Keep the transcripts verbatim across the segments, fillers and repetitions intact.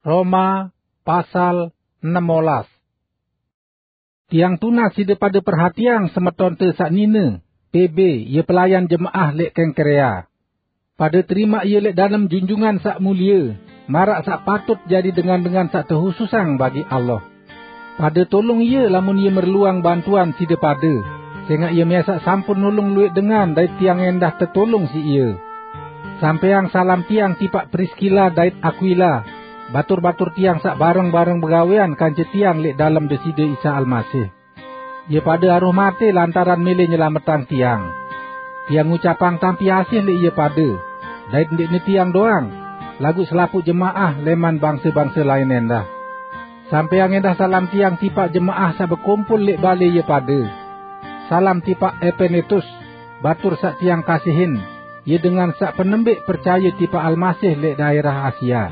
Roma pasal enam belas. Tiang tunas side pade perhatiang semetonte saq nine, P B, ye pelayan jemaah leq Kengkrea. Pade terimaq ie leq dalem junjungan saq mulie, maraq saq patut jari dengan-dengan saq tehususang bagi Allah. Pade tulung ie lamun ie merluang bantuan side pade, sengaq ie mesaq sampun nulung luwẽq dengan dait tiang endah tetulung siq ie. Sampeang salam tiang tipaq Priskila dait Akwila, batur-batur tiang saq bareng-bareng begawean kance tiang leq dalem Deside Isa Almasih. Ie pade aruh mate lantaran mele nyelametang tiang. Tiang ngucapang tampi asih leq ie pade, dait ndeqne tiang doang, laguq selapuq jemaah leman bangse-bangse lain endah. Sampeang endah salam tiang tipaq jemaah saq bekumpul leq bale ie pade. Salam tipaq Epenetus, batur saq tiang kasihin, ie dengan saq penembeq percaye tipaq Almasih leq daerah Asia.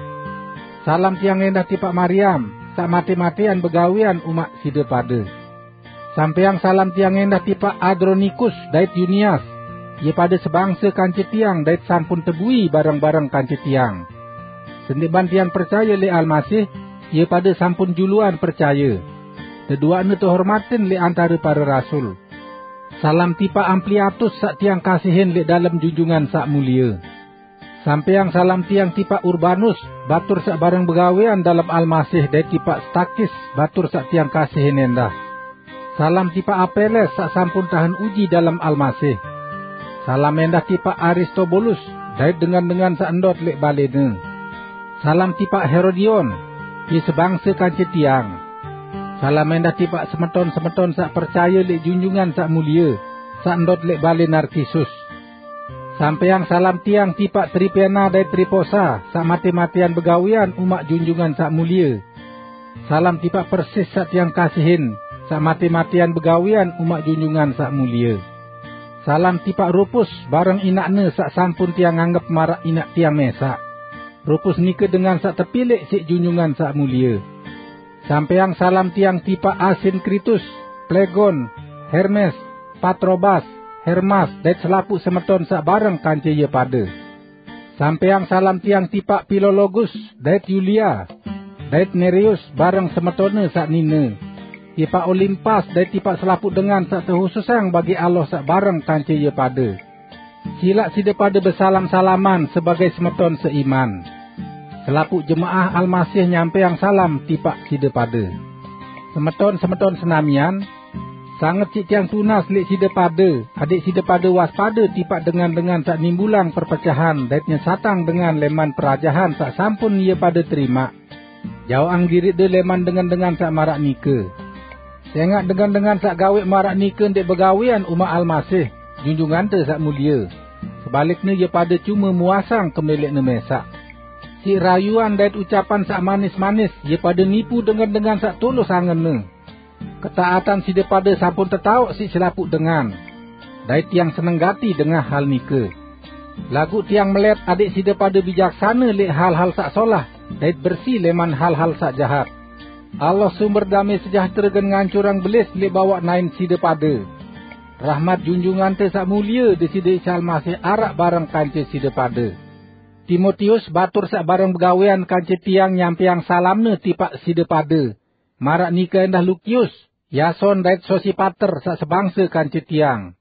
Salam tiang endah tipaq Mariam, saq mate-matean begawean umaq side pade. Sampeang salam tiang endah tipaq Adronikus dait Yunias, ie pade sebangse kance tiang dait sampun tebui bareng-bareng kance tiang. Sendeqman tiang percaye leq Almasih, ie pade sampun juluan percaye. Deduaqne tehormatin leq antare pare rasul. Salam tipaq Ampliatus saq tiang kasihin leq dalem junjungan saq mulie. Sampeang salam tiang tipaq Urbanus, batur saq bareng begawean dalem Almasih, dait tipaq Stakis, batur saq tiang kasihin endah. Salam tipaq Apeles saq sampun tahen uji dalem Almasih. Salam endah tipaq Aristobulus dait dengan-dengan saq ndot leq balene. Salam tipaq Herodion, ie sebangse kance tiang. Salam endah tipaq semeton-semeton saq percaye leq junjungan saq mulie, saq ndot leq bale Narkisus. Sampeang salam tiang tipaq Tripena dait Triposa, saq mate-matean begawean umaq junjungan saq mulie. Salam tipaq Persis saq tiang kasihin, saq mate-matean begawean umaq junjungan saq mulie. Salam tipaq Rupus bareng inaqne saq sampun tiang anggep maraq inaq tiang mesaq. Rupus nike dengan saq tepilẽq siq junjungan saq mulie. Sampeang salam tiang tipaq Asinkritus, Plegon, Hermes, Patrobas, Hermas, dait selapuq semeton saq bareng kance ie pade. Sampeang salam tiang tipaq Pilologus dait Yulia, dait Nereus bareng semetonne saq nine, tipaq Olimpas dait tipaq selapuq dengan saq tehususang bagi Allah saq bareng kance ie pade. Silaq side pade besalam-salaman sebagai semeton seiman. Selapuq jemaah Almasih nyampeang salam tipaq side pade. Semeton-semeton senamian, sanget siq tiang tunas leq side pade, adẽq side pade waspade tipaq dengan-dengan saq nimbulang perpecahan dait nyesatang dengan leman perajahan saq sampun ie pade terimaq. Jaoqang diriqde leman dengan-dengan saq maraq nike. Sengaq dengan-dengan saq gaweq maraq nike ndeq begawean umaq Almasih, Junjungante Saq Mulie. Sebalikne, ie pade cume muasang kemeleqne mesaq. Siq rayuan dait ucapan saq manis-manis, ie pade nipu dengan-dengan saq tulus angenne. Ketaatan side pade sampun tetaoq siq selapuq dengan, dait tiang seneng gati dengah hal nike. Laguq tiang melet adẽq side pade bijaksane leq hal-hal saq solah, dait bersi leman hal-hal saq jahat. Allah, sumber dame sejahtere, gen ngancurang belis leq bawaq naen side pade. Rahmat Junjungante Saq Mulie, Deside Isa Almasih, araq bareng kance side pade. Timotius, batur saq bareng begawean kance tiang, nyampeang salamne tipaq side pade. Maraq nike endah Lukius, Yason, dait Sosipater saq sebangse kance tiang.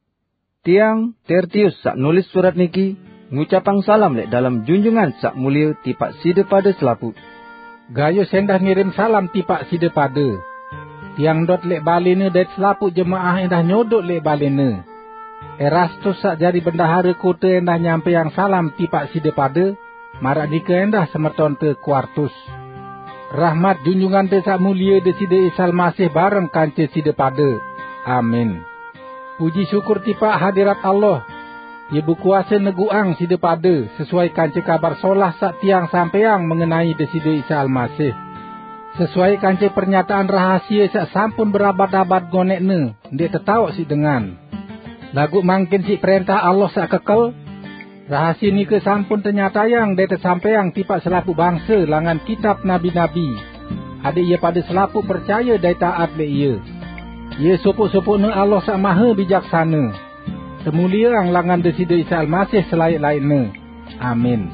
Tiang, Tertius, saq nulis surat niki, ngucapang salam leq dalem Junjungan Saq Mulie tipaq side pade selapuq. Gayus endah ngirim salam tipaq side pade. Tiang ndot leq balene dait selapuq jemaah endah nyodoq leq balene. Erastus saq jari bendahare kote endah nyampeang salam tipaq side pade, maraq nike endah semetonte Kuartus. Rahmat Junjungante Saq Mulie, Deside Isa Almasih, bareng kance side pade. Amin. Puji syukur tipaq hadirat Allah, ie bekuase neguqang side pade sesuai kance Kabar Solah saq tiang sampeang mengenai Deside Isa Almasih. Sesuai kance pernyataan rahasie saq sampun berabad-abad ngoneqne ndeq tetaoq siq dengan, laguq mangkin siq prẽntah Allah saq kekel, rahasie nike sampun tenyatayang dait tesampẽang tipaq selapuq bangse langan kitab nabi-nabi, adẽq ie pade selapuq percaye dait taat leq ie. Ie sopoq-sopoqne Allah Saq Mahe Bijaksane. Temulieang langan Deside Isa Almasih selaẽq-laẽqne. Amin.